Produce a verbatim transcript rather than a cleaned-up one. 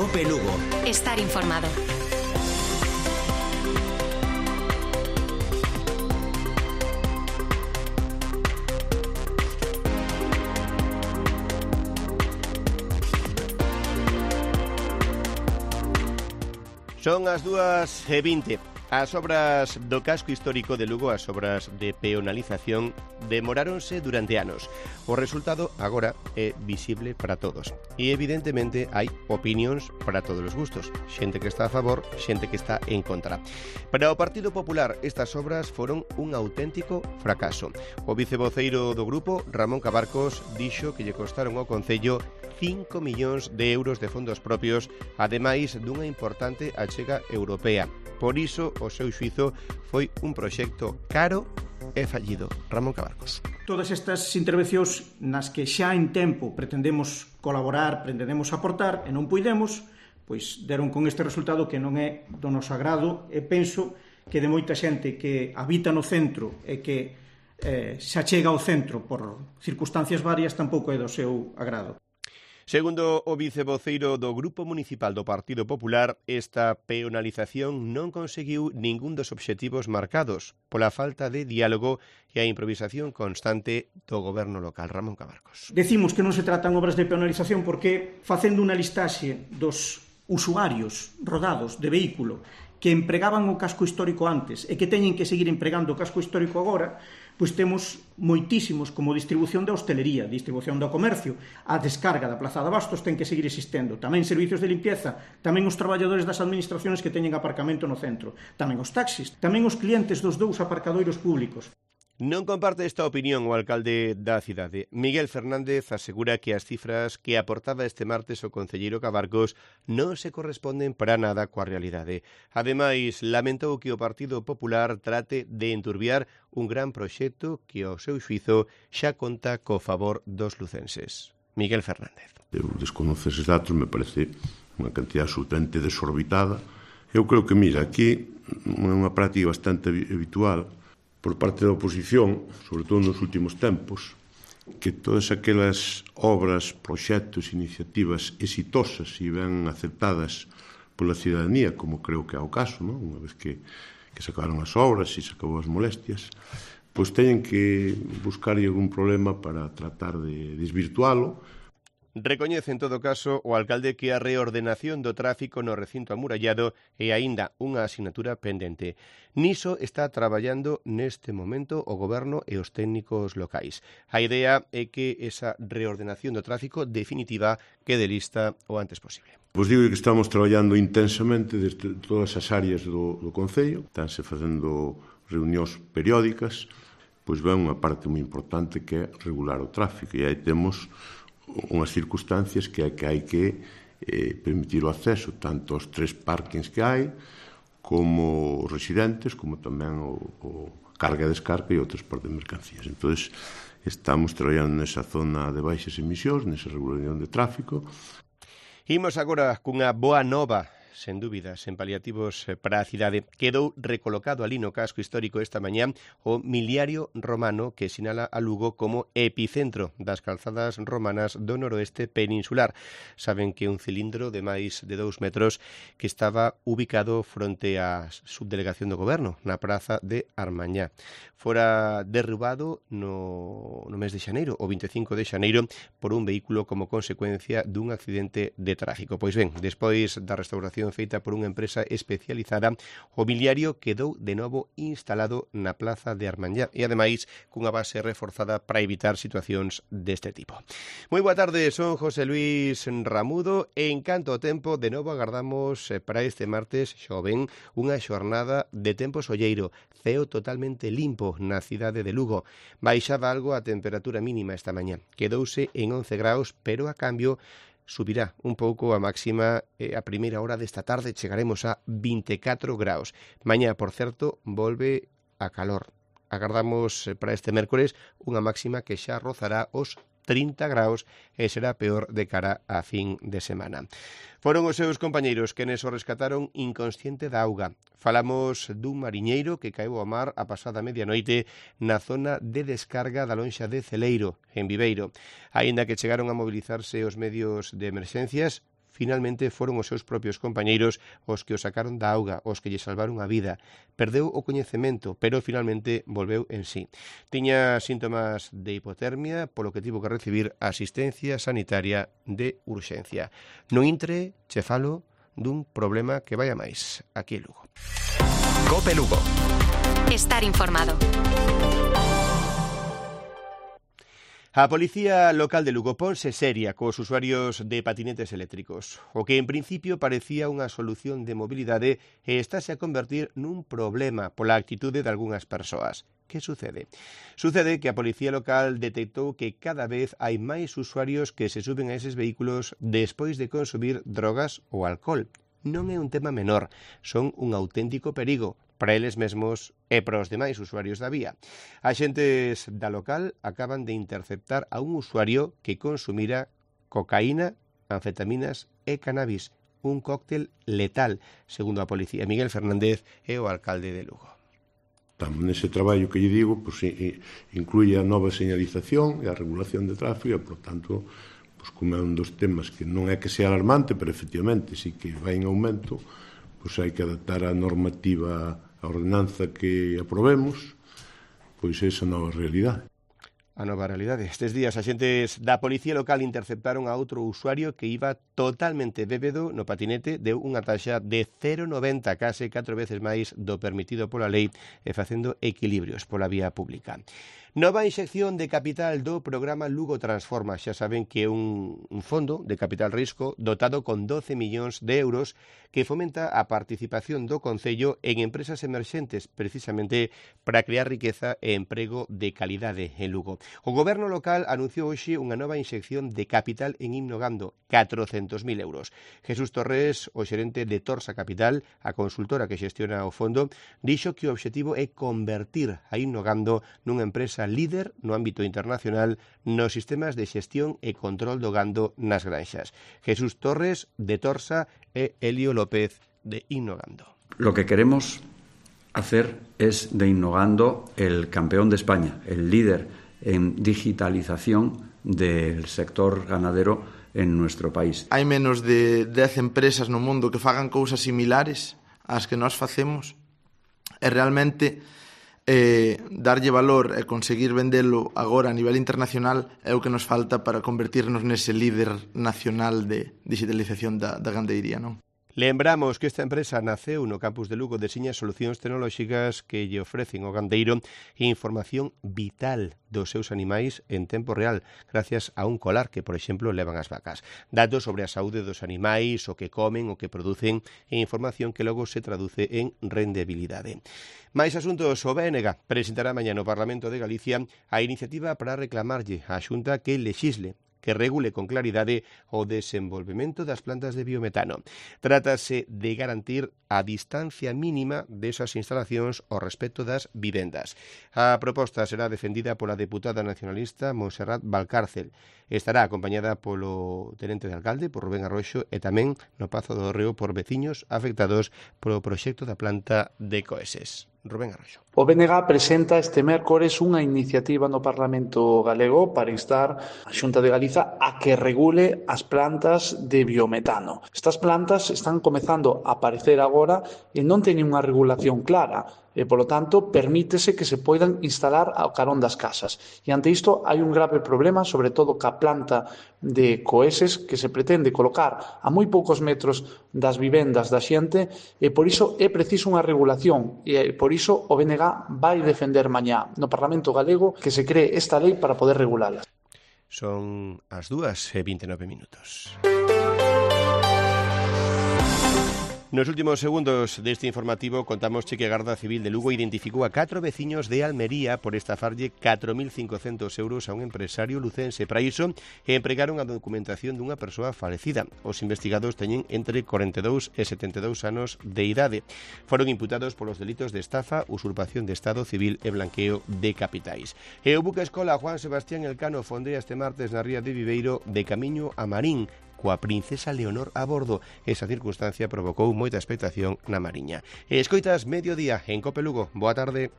Cope Lugo. Estar informado. Son as dúas e vinte. As obras do casco histórico de Lugo, as obras de peonalización, demoráronse durante anos. O resultado agora é visible para todos. E evidentemente hai opinións para todos os gustos. Xente que está a favor, xente que está en contra. Para o Partido Popular, estas obras foron un auténtico fracaso. O vicevoceiro do grupo, Ramón Cabarcos, dixo que lle costaron ao Concello cinco millóns de euros de fondos propios, ademais dunha importante achega europea. Por iso, o seu xuízo foi un proxecto caro e fallido. Ramón Cabarcos. Todas estas intervencións nas que xa en tempo pretendemos colaborar, pretendemos aportar e non puidemos, pois deron con este resultado que non é do noso agrado e penso que de moita xente que habita no centro e que eh, xa chega ao centro por circunstancias varias tampouco é do seu agrado. Segundo o vicevoceiro do Grupo Municipal do Partido Popular, esta peonalización non conseguiu ningún dos obxectivos marcados pola falta de diálogo e a improvisación constante do goberno local. Ramón Cabarcos. Decimos que non se tratan obras de peonalización porque, facendo unha listaxe dos usuarios rodados de vehículo que empregaban o casco histórico antes e que teñen que seguir empregando o casco histórico agora, pois temos moitísimos como distribución da hostelería, distribución do comercio, a descarga da Plaza de Abastos ten que seguir existendo, tamén servicios de limpieza, tamén os traballadores das administraciones que teñen aparcamento no centro, tamén os taxis, tamén os clientes dos dous aparcadoiros públicos. Non comparte esta opinión o alcalde da cidade. Miguel Fernández asegura que as cifras que aportaba este martes o concelleiro Cabarcos non se corresponden para nada coa realidade. Ademais, lamentou que o Partido Popular trate de enturbiar un gran proxecto que, ao seu xuízo, xa conta co favor dos lucenses. Miguel Fernández. Eu desconoce eses datos, me parece unha cantidad absolutamente desorbitada. Eu creo que, mira, aquí é unha práctica bastante habitual por parte da oposición, sobre todo nos últimos tempos, que todas aquelas obras, proxectos, iniciativas exitosas e ben aceptadas pola cidadanía, como creo que é o caso, non? Unha vez que, que se acabaron as obras e se acabou as molestias, pois teñen que buscar algún problema para tratar de desvirtualo. Recoñece en todo caso o alcalde que a reordenación do tráfico no recinto amurallado é aínda unha asignatura pendente. Niso está traballando neste momento o goberno e os técnicos locais. A idea é que esa reordenación do tráfico definitiva quede lista o antes posible. Pois digo que estamos traballando intensamente desde todas as áreas do, do Concello, estánse facendo reunións periódicas, pois ven unha parte moi importante que é regular o tráfico, e aí temos unhas circunstancias que é que hai que eh, permitir o acceso tanto aos tres parkings que hai como os residentes, como tamén o, o carga e descarga e o transporte de mercancías. Entón, estamos traballando nesa zona de baixas emisións, nesa regulación de tráfico. Imos agora cunha boa nova, sen dúbidas, en paliativos para a cidade. Quedou recolocado ali no casco histórico esta mañá o miliario romano que sinala a Lugo como epicentro das calzadas romanas do noroeste peninsular. Saben que un cilindro de máis de dous metros que estaba ubicado fronte á subdelegación do goberno, na praza de Armañá. Fora derrubado no, no mes de xaneiro, o vinte e cinco de xaneiro, por un vehículo como consecuencia dun accidente de tráfico. Pois ben, despois da restauración feita por unha empresa especializada, o miliario quedou de novo instalado na plaza de Armañá e, ademais, cunha base reforzada para evitar situacións deste tipo. Moi boa tarde, son José Luis Ramudo e en canto ao tempo, de novo agardamos para este martes xoven unha xornada de tempo solleiro, ceo totalmente limpo na cidade de Lugo. Baixaba algo a temperatura mínima esta mañá, quedouse en once graus, pero a cambio subirá un pouco a máxima eh, a primeira hora desta tarde, chegaremos a vinte e catro graus. Mañá, por certo, volve a calor. Agardamos para este mércores unha máxima que xa rozará os trinta graus e será peor de cara a fin de semana. Foron os seus compañeiros quenes o rescataron inconsciente da auga. Falamos dun mariñeiro que caeu ao mar a pasada medianoite na zona de descarga da lonxa de Celeiro, en Viveiro. Aínda que chegaron a mobilizarse os medios de emerxencias, finalmente foron os seus propios compañeiros os que o sacaron da auga, os que lle salvaron a vida. Perdeu o coñecemento, pero finalmente volveu en sí. Tiña síntomas de hipotermia, polo que tivo que recibir asistencia sanitaria de urxencia. No intre, che falo dun problema que vai a máis aquí en Lugo. Cope Lugo. Estar informado. A Policía Local de Lugo ponse seria cos usuarios de patinetes eléctricos. O que en principio parecía unha solución de mobilidade estáse a convertir nun problema pola actitude de algunhas persoas. Que sucede? Sucede que a Policía Local detectou que cada vez hai máis usuarios que se suben a eses vehículos despois de consumir drogas ou alcohol. Non é un tema menor, son un auténtico perigo para eles mesmos e para os demais usuarios da vía. Axentes da local acaban de interceptar a un usuario que consumira cocaína, anfetaminas e cannabis, un cóctel letal, segundo a policía. Miguel Fernández é o alcalde de Lugo. Estamos nese traballo que lle digo, pues, incluye a nova señalización e a regulación de tráfico, e, por tanto, pues, como é un dos temas que non é que sea alarmante, pero efectivamente sí que vai en aumento, pues hai que adaptar a normativa, a ordenanza que aprobemos, pois esa nova realidade. A nova realidade. Estes días, axentes da Policía Local interceptaron a outro usuario que iba totalmente bébedo no patinete, deu unha taxa de cero coma noventa, case catro veces máis do permitido pola lei, e facendo equilibrios pola vía pública. Nova inxección de capital do programa Lugo Transforma. Xa saben que é un, un fondo de capital risco dotado con doce millóns de euros que fomenta a participación do Concello en empresas emerxentes, precisamente para crear riqueza e emprego de calidade en Lugo. O Goberno local anunciou hoxe unha nova inxección de capital en Innogando, catrocentos mil euros. Jesús Torres, o xerente de Torsa Capital, a consultora que xestiona o fondo, dixo que o obxectivo é convertir a Innogando nunha empresa líder no ámbito internacional nos sistemas de xestión e control do gando nas granxas. Jesús Torres, de Torsa, e Elio López, de Innogando. Lo que queremos hacer es de Innogando el campeón de España, el líder en digitalización del sector ganadero en nuestro país. Hai menos de dez empresas no mundo que fagan cousas similares ás que nós facemos, e realmente eh, darlle valor e conseguir vendelo agora a nivel internacional é o que nos falta para convertirnos nese líder nacional de digitalización da, da gandeiría, non? Lembramos que esta empresa naceu no campus de Lugo, deseña solucións tecnolóxicas que lle ofrecen ao gandeiro información vital dos seus animais en tempo real, gracias a un colar que, por exemplo, levan as vacas. Datos sobre a saúde dos animais, o que comen, o que producen, e información que logo se traduce en rendibilidade. Mais asuntos, o B N G presentará mañá no Parlamento de Galicia a iniciativa para reclamarlle á Xunta que lexisle, que regule con claridade o desenvolvemento das plantas de biometano. Trátase de garantir a distancia mínima desas instalacións ao respecto das vivendas. A proposta será defendida pola deputada nacionalista Montserrat Valcárcel. Estará acompañada polo tenente de alcalde, por Rubén Arroxo, e tamén no Pazo do Reo por veciños afectados polo proxecto da planta de Coeses. Rubén Arroxo. O B N G presenta este mércores unha iniciativa no Parlamento galego para instar a Xunta de Galiza a que regule as plantas de biometano. Estas plantas están comezando a aparecer agora e non teñen unha regulación clara. E, polo tanto, permítese que se poidan instalar ao carón das casas. E ante isto hai un grave problema, sobre todo ca planta de Coeses, que se pretende colocar a moi poucos metros das vivendas da xente, e por iso é preciso unha regulación, e por iso o B N G vai defender mañá no Parlamento galego que se cree esta lei para poder regulalas. Son as dúas e vinte e nove minutos. Nos últimos segundos deste informativo contamos que a Garda Civil de Lugo identificou a catro veciños de Almería por estafarlle catro mil cincocentos euros a un empresario lucense. Para iso, empregaron a documentación dunha persoa falecida. Os investigados teñen entre corenta e dous e setenta e dous anos de idade. Foron imputados polos delitos de estafa, usurpación de Estado civil e blanqueo de capitais. E o buque escola Juan Sebastián Elcano fondea este martes na ría de Viveiro de camiño a Marín, coa princesa Leonor a bordo. Esa circunstancia provocou moita expectación na Mariña. E escoitas Mediodía en Cope Lugo. Boa tarde.